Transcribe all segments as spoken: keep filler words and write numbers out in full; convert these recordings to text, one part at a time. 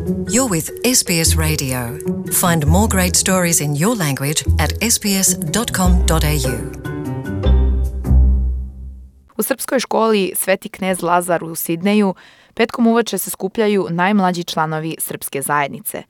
You're with S B S Radio. Find more great stories in your language at s b s dot com dot a u. U srpskoj školi Sveti knez Lazar u Sidneju petkom uveče se skupljaju najmlađi članovi srpske zajednice.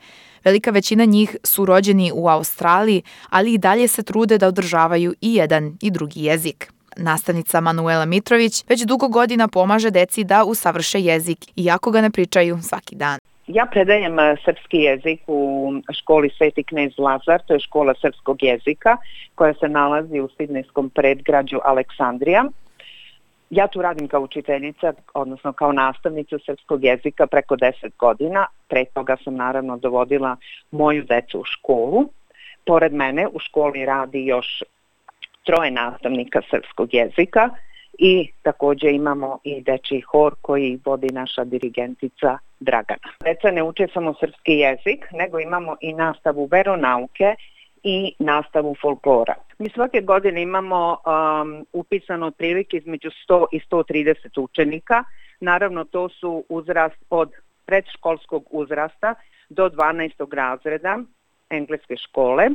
Velika većina njih su rođeni u Australiji, ali i dalje se trude da održavaju i jedan i drugi jezik. Nastavnica Manuela Mitrović već dugo godina pomaže deci da usavrše jezik, iako ga ne pričaju svaki dan. Ja predajem srpski jezik u školi Sveti knez Lazar, to je škola srpskog jezika koja se nalazi u sidnejskom predgrađu Aleksandrija. Ja tu radim kao učiteljica, odnosno kao nastavnica srpskog jezika preko deset godina. Pre toga sam naravno dovodila moju decu u školu. Pored mene u školi radi još troje nastavnika srpskog jezika i također imamo i dečji hor koji vodi naša dirigentica Dragana. Deca ne uče samo srpski jezik, nego imamo i nastavu veronauke i nastavu folklora. Mi svake godine imamo um, upisano otprilike između sto i sto trideset učenika. Naravno, to su uzrast od predškolskog uzrasta do dvanaestog razreda engleske škole.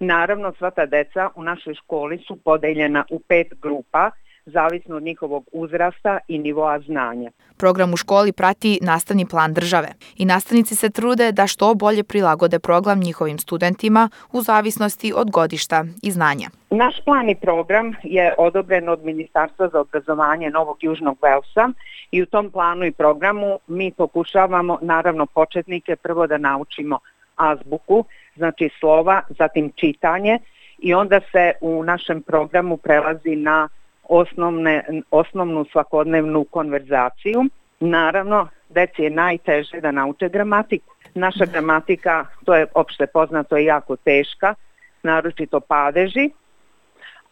Naravno, sva ta deca u našoj školi su podeljena u pet grupa, zavisno od njihovog uzrasta i nivoa znanja. Program u školi prati nastavni plan države i nastavnici se trude da što bolje prilagode program njihovim studentima u zavisnosti od godišta i znanja. Naš plan i program je odobren od Ministarstva za obrazovanje Novog Južnog Velsa i u tom planu i programu mi pokušavamo, naravno, početnike prvo da naučimo azbuku, znači slova, zatim čitanje i onda se u našem programu prelazi na Osnovne, osnovnu svakodnevnu konverzaciju. Naravno, deci je najteže da nauče gramatiku. Naša gramatika, to je opšte poznato, je jako teška, naročito padeži,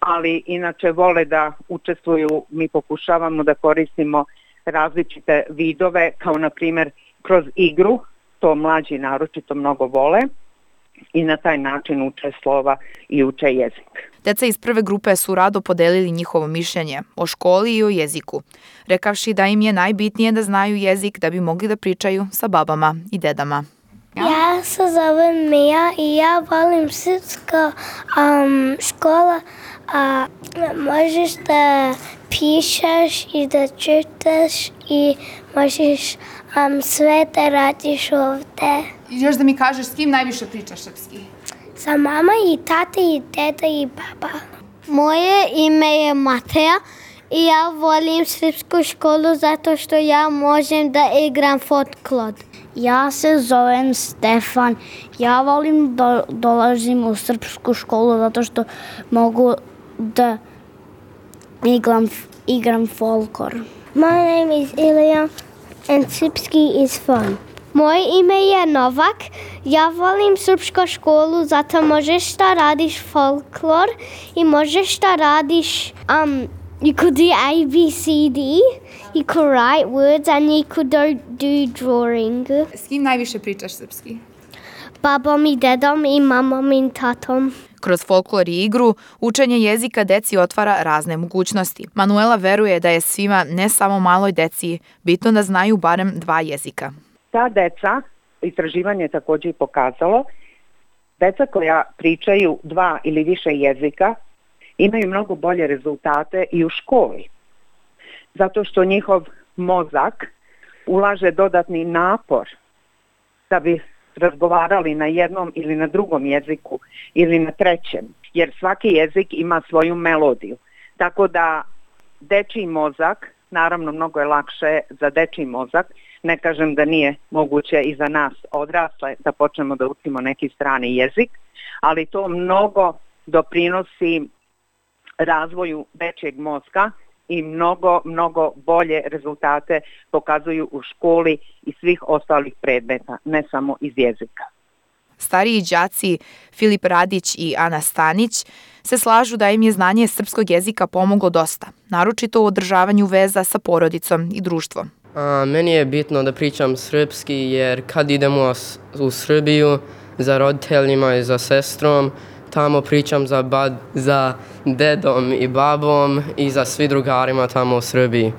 ali inače vole da učestvuju, mi pokušavamo da koristimo različite vidove, kao na primjer kroz igru, to mlađi naročito mnogo vole i na taj način uče slova i uče jezik. Deca iz prve grupe su rado podelili njihovo mišljenje o školi i o jeziku, rekavši da im je najbitnije da znaju jezik da bi mogli da pričaju sa babama i dedama. Ja se zovem Mija i ja volim srpska um, škola. A možeš da pišeš i da čitaš i možeš um, sve da radiš ovde. Još da mi kažeš s kim najviše pričaš srpski? Sa mama i tata i deda i baba. Moje ime je Mateja i ja volim srpsku školu zato što ja možem da igram folklor. Ja se zovem Stefan. Ja volim da dolazim u srpsku školu zato što mogu da igram, igram folklor. My name is Ilya and srpski is fun. Moje ime je Novak. Ja volim srpsku školu zato možeš da radiš folklor i možeš da radiš um, you could do A B C D, you could write words and you could do, do drawing. S kim najviše pričaš srpski? Babom i dedom i mamom i tatom. Kroz folklor i igru, učenje jezika deci otvara razne mogućnosti. Manuela veruje da je svima, ne samo maloj deci, bitno da znaju barem dva jezika. Ta deca, istraživanje je također i pokazalo, deca koja pričaju dva ili više jezika imaju mnogo bolje rezultate i u školi. Zato što njihov mozak ulaže dodatni napor da bi razgovarali na jednom ili na drugom jeziku ili na trećem, jer svaki jezik ima svoju melodiju. Tako da dečiji mozak, naravno mnogo je lakše za dečiji mozak, ne kažem da nije moguće i za nas odrasle da počnemo da učimo neki strani jezik, ali to mnogo doprinosi razvoju dečijeg mozga i mnogo, mnogo bolje rezultate pokazuju u školi i svih ostalih predmeta, ne samo iz jezika. Stariji đaci Filip Radić i Ana Stanić se slažu da im je znanje srpskog jezika pomoglo dosta, naročito u održavanju veza sa porodicom i društvom. A, meni je bitno da pričam srpski jer kad idemo u Srbiju za roditeljima i za sestrom, tamo pričam za, bad, za dedom i babom i za svi drugarima tamo u Srbiji.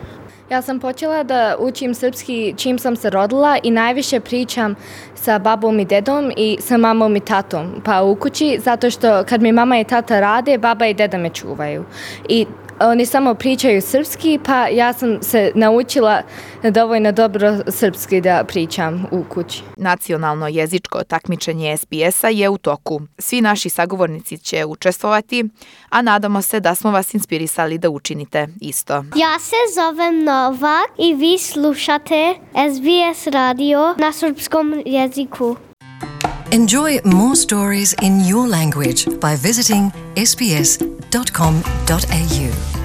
Ja sam počela da učim srpski čim sam se rodila i najviše pričam sa babom i dedom i sa mamom i tatom pa u kući, zato što kad mi mama i tata rade, baba i deda me čuvaju. I oni samo pričaju srpski, pa ja sam se naučila dovoljno dobro srpski da pričam u kući. Nacionalno jezičko takmičenje S B S-a je u toku. Svi naši sagovornici će učestvovati, a nadamo se da smo vas inspirisali da učinite isto. Ja se zovem Novak i vi slušate S B S radio na srpskom jeziku. Enjoy more stories in your language by visiting s b s dot com dot a u.